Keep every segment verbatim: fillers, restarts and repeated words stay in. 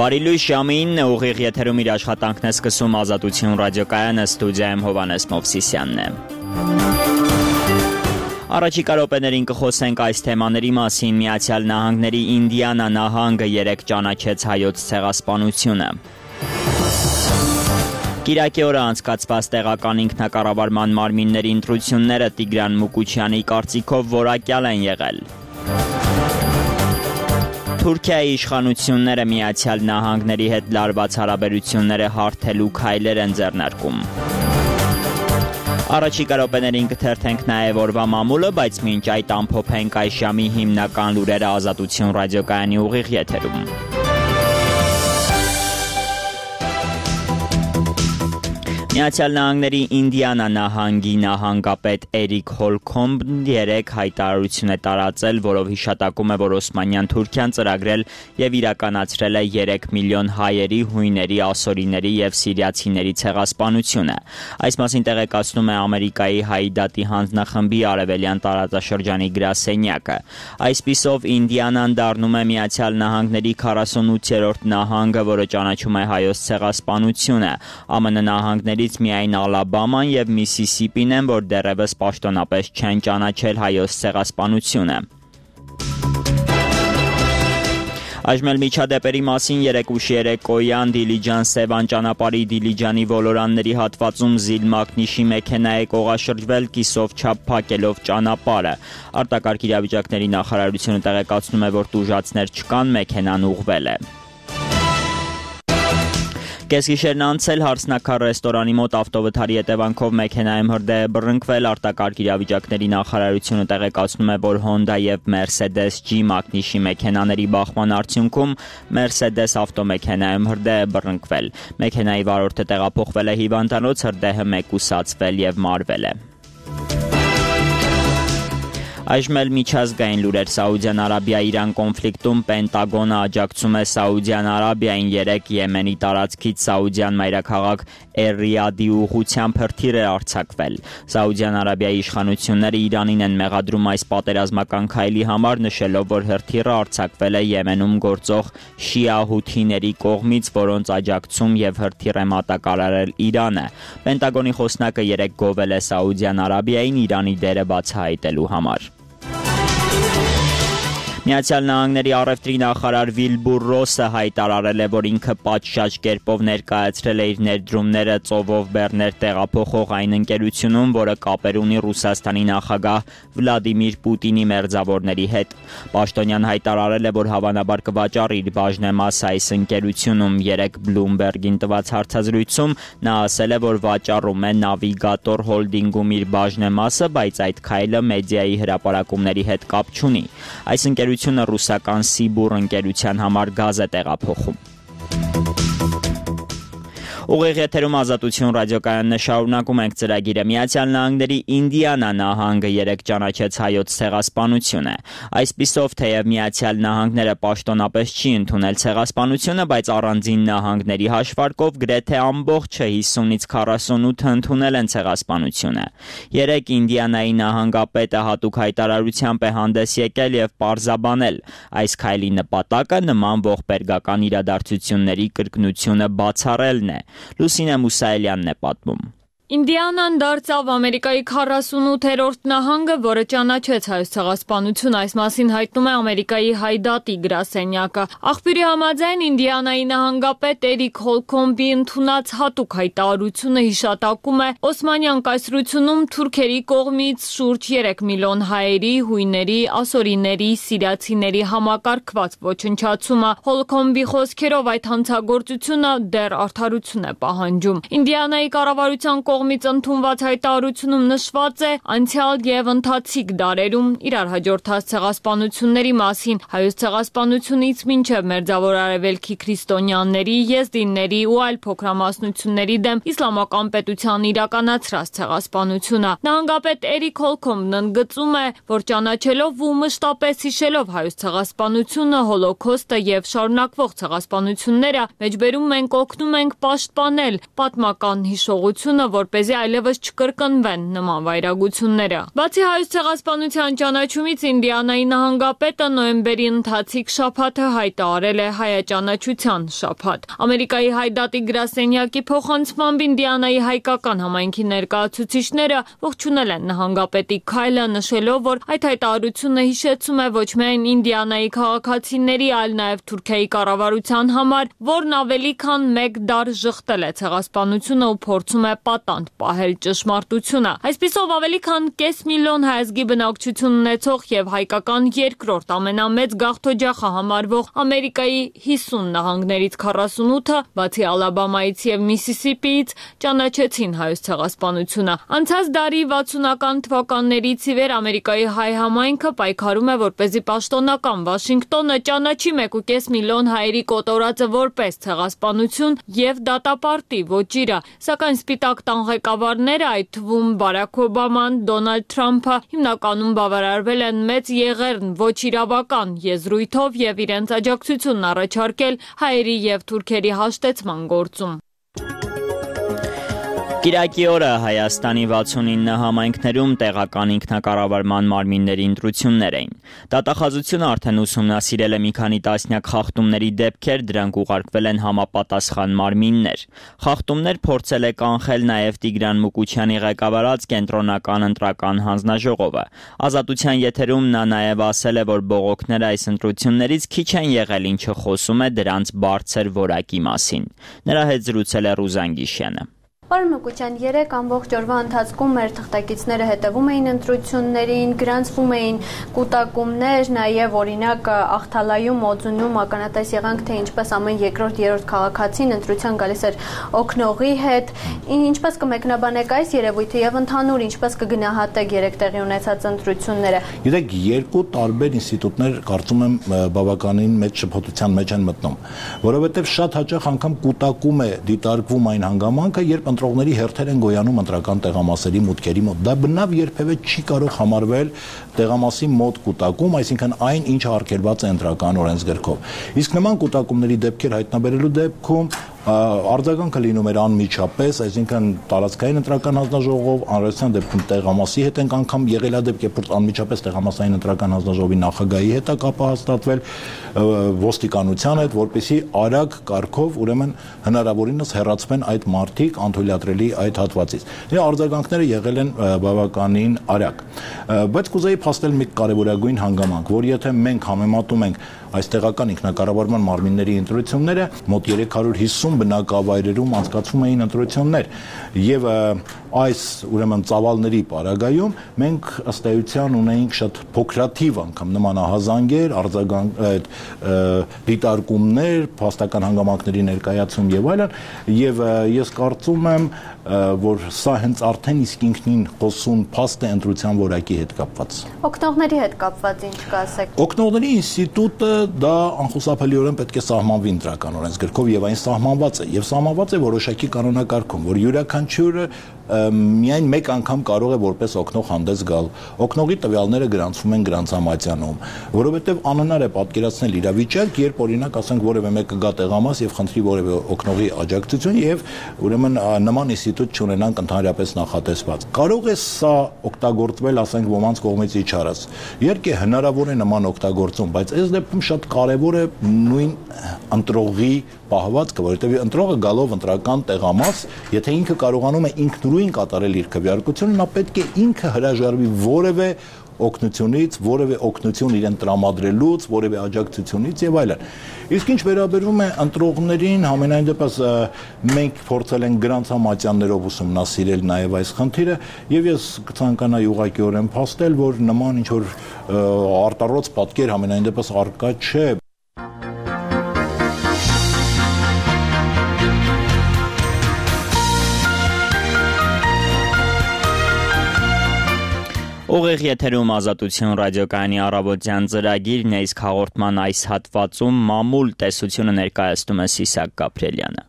Բարի լույս ժամին ուղիղ եթերում իր աշխատանքն է սկսում Ազատություն ռադիոկայանը, ստուդիայում Հովհաննես Մովսիսյանն է։ Առաջիկա րոպեներին կխոսենք այս թեմաների մասին։ Միացյալ Նահանգների Ինդիանա նահանգը երեկ ճանաչեց հայոց ցեղասպանությունը։ Կիրակի օրը անցկացված տեղական ինքնակառավարման մարմինների ընտրությունները Տիգրան Մուկուչյանի կարծիքով որակյալ են եղել։ Թուրքիայի իշխանությունները Միացյալ Նահանգների հետ լարված հարաբերությունները հարթելու քայլեր են ձեռնարկում։ Առաջիկա րոպեներին կթերթենք նաև օրվա մամուլը, բայց մինչ այդ ամփոփենք այս ժամի հիմնական լուրերը Ազատություն ռադիոկայանի ուղիղ եթերում։ Միացյալ Նահանգների Ինդիանա նահանգի նահանգապետ Էրիկ Հոլքոմբն երեկ հայտարարություն է տարածել, որով հիշատակում է, որ Օսմանյան Թուրքիան ծրագրել եւ իրականացրել է երեք միլիոն հայերի, հույների, ասորիների եւ սիրիացիների ցեղասպանությունը։ Այս մասին տեղեկացնում է Ամերիկայի Հայդատի հանձնախմբի արևելյան տարածաշրջանի գրասենյակը։ Այսպիսով Ինդիանան դառնում է Միացյալ Նահանգների քառասունութերորդ նահանգը, որը ճանաչում է հայոց ցեղասպանությունը։ ԱՄՆ նահանգների միայն Ալաբաման եւ Միսիսիպին են, որ դեռևս պաշտոնապես չեն ճանաչել հայոց ցեղասպանությունը։ Այժմ էլ միջադեպերի մասին երեկ ուշ երեկոյան Դիլիջան-Սևան ճանապարհի Դիլիջանի ոլորանների հատվածում Զիլ Մակնիշի մեքենա է կողաշրջվել կիսով չափ փակելով ճանապարհը։ Արտակարգ իրավիճակների նախարարությունը տեղեկացնում է, որ տուժածներ չկան, մեքենան ուղղվել է։ Կեսգիշերն անցել Հարսնաքար ռեստորանի մոտ ավտովթարի հետևանքով մեքենայում հրդեհ է բռնկվել։ Արտակարգ իրավիճակների նախարարությունը տեղեկացնում է, որ Հոնդա եւ Մերսեդես G Մակնիշի մեքենաների բախման արդյունքում Մերսեդես ավտոմեքենայում հրդեհ է բռնկվել։ Մեքենայի վարորդը տեղափոխվել է հիվանդանոց, հրդեհը մեկուսացվել եւ մարվել է։ Այժմ էլ միջազգային լուրեր։ Սաուդյան Արաբիա-Իրան կոնֆլիկտում Պենտագոնը աջակցում է Սաուդյան Արաբիային։ Երեկ Եմենի տարածքից Սաուդյան մայրաքաղաք Էր-Ռիադի ուղղությամբ հրթիռ է արձակվել։ Սաուդյան Արաբիայի իշխանությունները Իրանին են մեղադրում այս պատերազմական քայլի համար, նշելով, որ հրթիռը արձակվել է Եմենում գործող շիա հութիների կողմից, որոնց աջակցում եւ հրթիռ է մատակարարել Իրանը։ Պենտագոնի խոսնակը երեկ գովել է Սաուդյան Արաբիային Իրանի դերը բացահայտելու համար։ Միացյալ Նահանգների առևտրի նախարար Վիլբուր Ռոսը հայտարարել է, որ ինքը պատշաճ կերպով ներկայացրել է իր ներդրումները ծովով բեռներ տեղափոխող այն ընկերությունում, որը կապեր ունի Ռուսաստանի նախագահ Վլադիմիր Պուտինի մերձավորների հետ։ Պաշտոնյան հայտարարել է, որ հավանաբար կվաճառի իր բաժնեմասը այս ընկերությունում։ Երեկ Բլումբերգին տված հարցազրույցում նա ասել է, որ վաճառում է Նավիգատոր հոլդինգում իր բաժնեմասը, բայց այդ քայլը մեդիայի հրապարակումների հետ կապ չունի։ Այս ընկերությունը ռուսական Սիբուր ընկերության համար գազ է տեղափոխում։ Ուղիղ եթերում Ազատություն ռադիոկայանն է, շարունակում ենք ծրագիրը։ Միացյալ Նահանգների Ինդիանա նահանգը երեկ ճանաչեց հայոց ցեղասպանությունը։ Այսպիսով, թեև Միացյալ Նահանգները պաշտոնապես չի ընդունել ցեղասպանությունը, բայց առանձին նահանգների հաշվարկով գրեթե ամբողջը հիսունից քառասունութը ընդունել են ցեղասպանությունը։ Երեկ Ինդիանայի նահանգապետը հատուկ հայտարարությամբ է հանդես եկել եւ պարզաբանել, այս քայլի նպատակը նման ողբերգական իրադարձությունների կրկնությունը բացառելն է։ Լուսինե Մուսայելյանն է պատմում։ Ինդիանան դարձավ Ամերիկայի քառասունութերորդ նահանգը, որը ճանաչեց հայոց ցեղասպանությունը, այս մասին հայտնում է Ամերիկայի Հայդատի գրասենյակը։ Աղբյուրի համաձայն Ինդիանայի նահանգապետ Էրիկ Հոլքոմբի ընդունած հատուկ հայտարարությունը հիշատակում է Օսմանյան կայսրությունում թուրքերի կողմից շուրջ երեք միլիոն հայերի, հույների, ասորիների, սիրիացիների համակարգված ոչնչացումը։ Հոլքոմբի խոսքերով այդ հանցագործությունը դեռ արդարություն է պահանջում։ Ինդիանայի կառավարության կողմից ընդունված հայտարարությունում նշված է անցյալ եւ ընթացիկ դարերում իրար հաջորդած ցեղասպանությունների մասին, հայոց ցեղասպանությունից մինչև Մերձավոր Արևելքի քրիստոնյաների, եզդիների ու այլ փոքրամասնությունների դեմ իսլամական պետության իրականացրած ցեղասպանությունը։ Նահանգապետ Էրիկ Հոլքոմբն ընդգծում է, որ ճանաչելով ու մշտապես հիշելով հայոց ցեղասպանությունը, հոլոքոստը եւ շարունակվող ցեղասպանությունները, մեջբերում ենք օգնում ենք պաշտպանել պատմական հիշողությունը, որ որպեսզի այլևս չկրկնվեն նման վայրագությունները։ Բացի Հայոց ցեղասպանության ճանաչումից, Ինդիանայի նահանգապետը նոյեմբերի ընթացիկ շաբաթը հայտարարել է հայաճանաչության շաբաթ։ Ամերիկայի հայդատի գրասենյակի փոխանցմամբ Ինդիանայի հայկական համայնքի ներկայացուցիչները ողջունել են նահանգապետի քայլը, նշելով, որ այդ հայտարարությունը հիշեցում է ոչ միայն Ինդիանայի քաղաքացիների, այլ նաև Թուրքիայի կառավարության համար, որն ավելի քան մեկ դար ժխտել է ցեղասպանությունը ու փորձում է պատանդ պահել ճշմարտությունը։ Այսպիսով ավելի քան կես միլիոն հայազգի բնակչություն ունեցող եւ հայկական երկրորդ ամենամեծ գաղթօջախը համարվող Ամերիկայի հիսուն նահանգներից քառասունութը, բացի Ալաբամայից եւ Միսիսիպիից, ճանաչեցին հայոց ցեղասպանությունը։ Անցած դարի վաթսունական թվականներից ի վեր Ամերիկայի հայ համայնքը պայքարում է, որպեսզի պաշտոնական Վաշինգտոնը ճանաչի մեկ ու կես միլիոն հայերի կոտորածը որպես ցեղասպանություն եւ դատապարտի ոճիրը, սակայն Սպիտակ տան ղեկավարները, այդ թվում Բարաք Օբաման, Դոնալդ Թրամփը, հիմնականում բավարարվել են մեծ եղեռն ոչ իրավական եզրույթով եւ իրենց աջակցությունն առաջարկել հայերի եւ թուրքերի հաշտեցման գործում։ Կիրակի օրը Հայաստանի վաթսունինը համայնքներում տեղական ինքնակառավարման մարմինների ընտրություններ էին։ Դատախազությունը արդեն ուսումնասիրել է մի քանի տասնյակ խախտումների դեպքեր, դրանք ուղարկվել են համապատասխան մարմիններ։ Խախտումներ փորձել է կանխել նաև Տիգրան Մուկուչյանի ղեկավարած կենտրոնական ընտրական հանձնաժողովը։ Ազատության եթերում նա նաև ասել է, որ բողոքները այս ընտրություններից քիչ են եղել, ինչը խոսում է դրանց բարձր որակի մասին։ Նրա հետ զրուցել է Ռուզան Գիշյանը։ Պարոն Մուկուչյան, երեք ամբողջ օրվա ընթացքում մեր թղթակիցները հետևում էին ընտրություններին, գրանցվում էին կուտակումներ, նաև օրինակ Ախթալայում, Օձունում ականատես եղանք, թե ինչպես ամեն երկրորդ երրորդ քաղաքացին ընտրության գալիս էր օգնողի հետ, ինչպես կմեկնաբանեք այս երևույթը եւ ընդհանուր ինչպես կգնահատեք երեք տեղի ունեցած ընտրությունները։ Գիտեք, երկու տարբեր ինստիտուտներ կարծում եմ բավականին մեծ շփոթության մեջ են մտնում, որովհետեւ շատ հաճախ անգամ կուտակում է դիտարկվում այն հանգամանքը, երբ ընտրողների հերթեր են գոյանում ընտրական տեղամասերի մուտքերի մոտ։ Դա բնավ երբևէ չի կարող համարվել տեղամասի մոտ կուտակում, այսինքն այն, ինչը արգելված է ընտրական օրենսգրքով։ Իսկ նման կուտակումների դեպքեր հայտնաբերելու դեպքում արձագանքը լինում էր անմիջապես, այսինքն տարածքային ընտրական հանձնաժողով, անհրաժեշտության դեպքում տեղամասի հետ ենք անգամ եղել դեպք, երբ որ անմիջապես տեղամասային ընտրական հանձնաժողովի նախագահի հետ է կապը հաստատվել, ոստիկանության հետ, որպեսզի արագ կարգով ուրեմն հնարավորինս հեռացվեն այդ մարդիկ անթույլատրելի այդ հատվածից։ Դե արձագանքները եղել են բավականին արագ։ Բայց կուզեի փաստել մի կարևորագույն հանգամանք, որ եթե մենք համեմատում ենք այս տեղական ինքնակառավարման մարմինների ընտրությունները, մոտ երեք հարյուր հիսուն բնակավայրերում անցկացվում էին ընտրություններ եւ այս ուրեմն ծավալների պարագայում մենք ըստ էության ունեինք շատ փոքրաթիվ անգամ նմանահազանգեր, արձագանք այդ դիտարկումներ, փաստական հանգամանքների ներկայացում եւ այլն, եւ ես կարծում եմ, որ սա հենց արդեն իսկ ինքնին խոսուն փաստ է ընտրության որակի հետ կապված։ Օգնողների հետ կապված ինչ կասեք։ Օգնողների ինստիտուտը դա անխուսափելիորեն պետք է սահմանվի ընտրական օրենսգրքով եւ այն սահմանված է եւ սահմանված է որոշակի կանոնակարգում, որ յուրաքանչյուրը միայն մեկ անգամ կարող է որպես օգնող հանդես գալ։ Օգնողի տվյալները գրանցվում են գրանցամատյանում, որովհետև անհնար է պատկերացնել իրավիճակ, երբ օրինակ ասենք որևէ մեկը գա տեղամաս եւ խնդրի որևէ օգնողի աջակցություն եւ ուրեմն նման ինստիտուտ չունենանք ընդհանրապես նախատեսված։ Կարող է սա օգտագործվել, ասենք ոմանց կողմից իջարած։ Իհարկե հնարավոր է նման օգտագործում, բայց այս դեպքում շատ կարեւոր է նույն ընտրողի պահվածքը, որովհետև ընտրողը գալով ընտրական տեղամաս, եթե ինքը կարողանում է ինքնուրույն կատարել իր քվեարկությունը, նա պետք է ինքը հրաժարվի որևէ օգնությունից, որևէ օգնություն իրեն տրամադրելուց, որևէ աջակցությունից եւ այլն։ Իսկ ինչ վերաբերում է ընտրողներին, համենայն դեպս մենք փորձել ենք գրանցամատյաններով ուսումնասիրել նաեւ այս խնդիրը եւ ես կցանկանայի ուղղակիորեն փաստել, որ նման ինչ որ արտառոց պատկեր համենայն դեպս արկա չէ։ Ուղիղ եթերում Ազատություն ռադիոկայանի առավոտյան ծրագիրն է, իսկ հաղորդման այս հատվածում մամուլ տեսությունը ներկայացնում է Սիսակ Գաբրելյանը։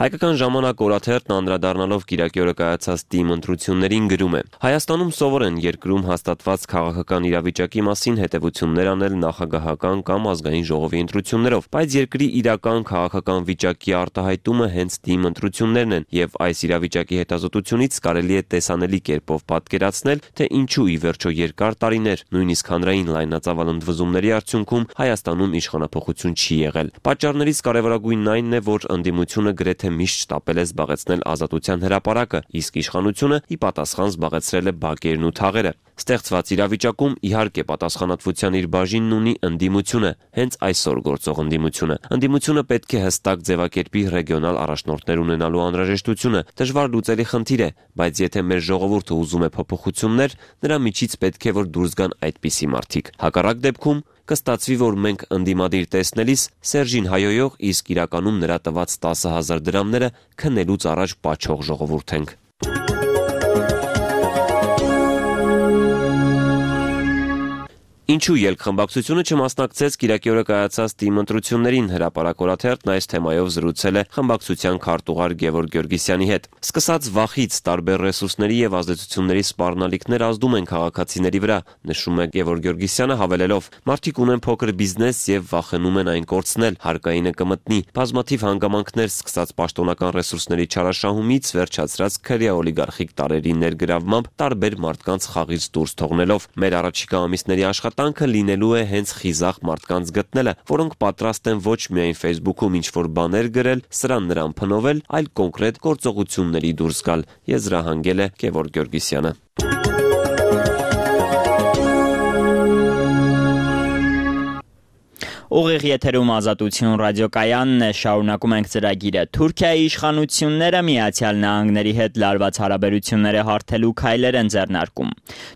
Հայկական ժամանակ օրաթերթն անդրադառնալով կիրակի օրը կայացած ՏԻՄ ընտրություններին գրում է. Հայաստանում սովոր են երկրում հաստատված քաղաքական իրավիճակի մասին հետևություններ անել նախագահական կամ ազգային ժողովի ընտրություններով, բայց երկրի իրական քաղաքական վիճակի արտահայտումը հենց ՏԻՄ ընտրություններն են, եւ այս իրավիճակի հետազոտությունից կարելի է տեսանելի կերպով պատկերացնել, թե ինչու ի վերջո երկար տարիներ, նույնիսկ հանրային լայնածավալ ընդվզումների արդյունքում Հայաստանում իշխանափոխություն չի եղել։ Պատճառներից կարևորագույնն այն է, որ ընդդիմությունը գրեթե միշտ շտապել է զբաղեցնել ազատության հրապարակը, իսկ իշխանությունը ի պատասխան զբաղեցրել է բակերն ու թաղերը։ Ստեղծված իրավիճակում իհարկե պատասխանատվության իր բաժինն ունի ընդդիմությունը, հենց այսօր գործող ընդդիմությունը։ Ընդդիմությունը պետք է հստակ ձևակերպի ռեգիոնալ առաջնորդներ ունենալու անհրաժեշտությունը, դժվար լուծելի խնդիր է, բայց եթե մեր ժողովուրդը ուզում է փոփոխություններ, նրա միջից պետք է որ դուրս գան այդպիսի մարդիկ։ Հակառակ դեպքում կստացվի, որ մենք ընդդիմադիր տեսնելիս Սերժին հայոյող, իսկ իրականում նրա տված տասը հազար դրամները քննելուց առաջ պաչող ժողովուրդ ենք։ Ինչու ելքխմբակցությունը չմասնակցեց կիրակի օրը կայացած ՏԻՄ ընտրություններին, հրապարակ օրաթերթն այս թեմայով զրուցել է խմբակցության քարտուղար Գևորգ Գյորգիսյանի հետ։ Սկսած վախից տարբեր ռեսուրսների եւ ազդեցությունների սպառնալիքներ ազդում են քաղաքացիների վրա, նշում է Գևորգ Գյորգիսյանը, հավելելով. Մարդիկ ունեն փոքր բիզնես եւ վախենում են այն կորցնել, հարկայինը կմտնի, բազմաթիվ հանգամանքներ սկսած պաշտոնական ռեսուրսների չարաշահումից վերջացրած քրեա օլիգարխիկ տարերի ներգրավմամբ տարբեր մարդկանց խաղից դուրս թողնելով։ Մեր առաջիկա ամիսների աշխատանքը լինելու է հենց խիզախ մարդկանց գտնելը, որոնք պատրաստ են ոչ միայն Facebook-ում ինչ-որ բաներ գրել, սրան նրան փնովել, այլ կոնկրետ գործողությունների դուրս գալ, եզրահանգել է Գևորգ Գյորգիսյանը։ Ուղիղ եթերում Ազատություն ռադիոկայանն է, շարունակում ենք ծրագիրը։ Թուրքիայի իշխանությունները Միացյալ Նահանգների հետ լարված հարաբերությունները հարթելու քայլեր են ձեռնարկում։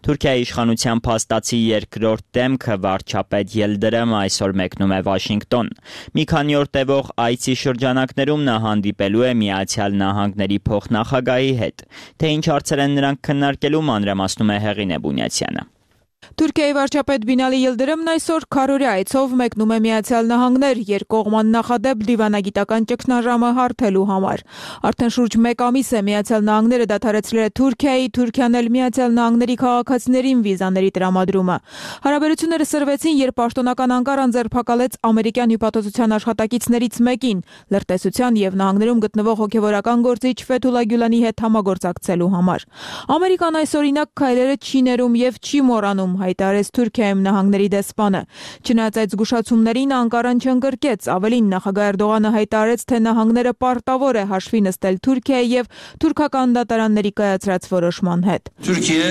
Թուրքիայի իշխանության փաստացի երկրորդ դեմքը վարչապետ Ելդրեմը այսօր մեկնում է Վաշինգտոն։ Մի քանի օր տևող այցի շրջանակներում նա հանդիպելու է Միացյալ Նահանգների փոխնախագահի հետ։ Թե ինչ հարցեր են նրանք քննարկելու, մանրամասնում է Հեղինե Բունյացյանը։ Թուրքիայի վարչապետ Բինալի Ելդրեմն այսօր քարորի այցով մեկնում է Միացյալ Նահանգներ երկկողման նախադեպ դիվանագիտական ճգնաժամը հարթելու համար։ Արդեն շուրջ մեկ ամիս է Միացյալ Նահանգները դադարեցրել է Թուրքիայի, Թուրքիան էլ Միացյալ Նահանգների քաղաքացիներին վիզաների տրամադրումը։ Հարաբերությունները սրվեցին, երբ պաշտոնական Անկարան ձերբակալեց ամերիկյան հյուպատոսության աշխատակիցներից մեկին, լրտեսության եւ նահանգներում գտնվող հոգեվորական գործիչ Ֆեթուլա Գյուլանի հետ համագործակցելու համար։ Ամերիկան այս օրինակ քայլերը չի ներում եւ չի մոռանում, հայտարարեց Թուրքիայում նահանգների դեսպանը։ Չնայած այդ զգուշացումներին Անկարան չընկրկեց, ավելին նախագահ Էրդողանը հայտարարեց, թե նահանգները պարտավոր է հաշվի նստել Թուրքիայի եւ թուրքական դատարանների կայացրած որոշման հետ։ Թուրքիա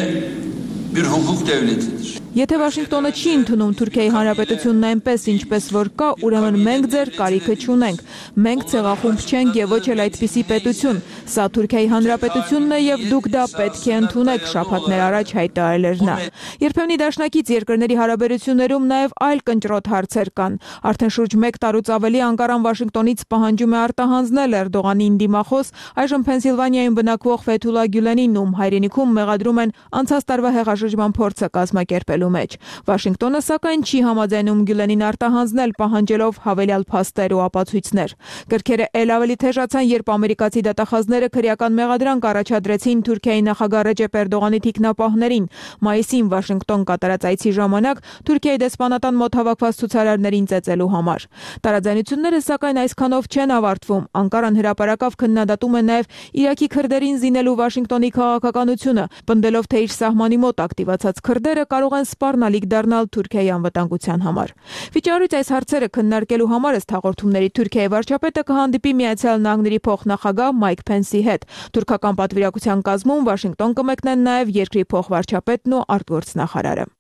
bir hukuk devletidir. Եթե Վաշինգտոնը չի ընդունում Թուրքիայի Հանրապետությունն այնպես, ինչպես որ կա, ուրեմն մենք ձեր կարիքը չունենք։ Մենք ցեղախումբ չենք եւ ոչ էլ այդպիսի պետություն։ Սա Թուրքիայի Հանրապետությունն է եւ դուք դա պետք է ընդունեք, շաբաթներ առաջ հայտարարել էր նա։ Երբեմնի դաշնակից երկրների հարաբերություններում նաեւ այլ կնճռոտ հարցեր կան։ Արդեն շուրջ մեկ տարուց ավելի Անկարան Վաշինգտոնից պահանջում է արտահանձնել Էրդողանին դիմախոս, այժմ Փենսիլվանիայում բնակվող Ֆեթուլա Գյուլենին, ում հայրենիքում մեղադրում են անցած տարվա հեղաշրջման փորձը կազմակերպել մեջ։ Վաշինգտոնը սակայն չի համաձայնում Գյուլենին արտահանձնել, պահանջելով հավելյալ փաստեր ու ապացույցներ։ Գրքերը ել ավելի թեժացան, երբ ամերիկացի դատախազները քրեական մեղադրանք առաջադրեցին Թուրքիայի նախագահ Ռեջեփ Էրդողանի թիկնապահներին։ Մայիսին Վաշինգտոն կատարած այցի ժամանակ Թուրքիայի դեսպանատան մոտ հավաքված ցուցարարներին ծեծելու համար։ Տարաձայնությունները սակայն այսքանով չեն ավարտվում։ Անկարան հրապարակավ քննադատում է նաև Իրաքի քրդերին զինելու Վաշինգտոնի քաղաքականությունը, պնդելով, թե իր սահմանի մոտ ակտիվացած քրդերը կարող են սպառնալիք դառնալ Թուրքիայի անվտանգության համար։ Վիճարույց այս հարցերը քննարկելու համար ըստ հաղորդումների Թուրքիայի վարչապետը կհանդիպի Միացյալ Նահանգների փոխնախագահ Մայք Փենսի հետ։ Թուրքական պատվիրակության կազմում Վաշինգտոն կմեկնեն նաև երկրի փոխվարչապետն ու արտգործնախարարը։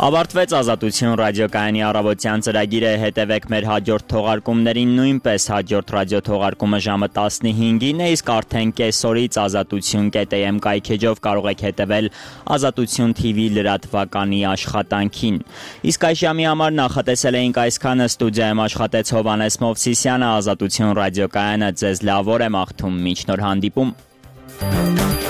Ավարտվեց Ազատություն ռադիոկայանի առավոտյան ծրագիրը, հետևեք մեր հաջորդ թողարկումներին նույնպես հաջորդ ռադիո թողարկումը ժամը տասնհինգին է, իսկ արդեն կեսօրից ազատություն կետ am կայքեջով կարող եք հետևել Ազատություն թի վի լրատվականի աշխատանքին։ Իսկ այս ժամի համար նախատեսել էինք այսքանը, ստուդիայում աշխատեց Հովհաննես Մովսիսյանը, Ազատություն ռադիոկայանը ձեզ լավ օր է մաղթում, մինչ նոր հանդիպում։ է։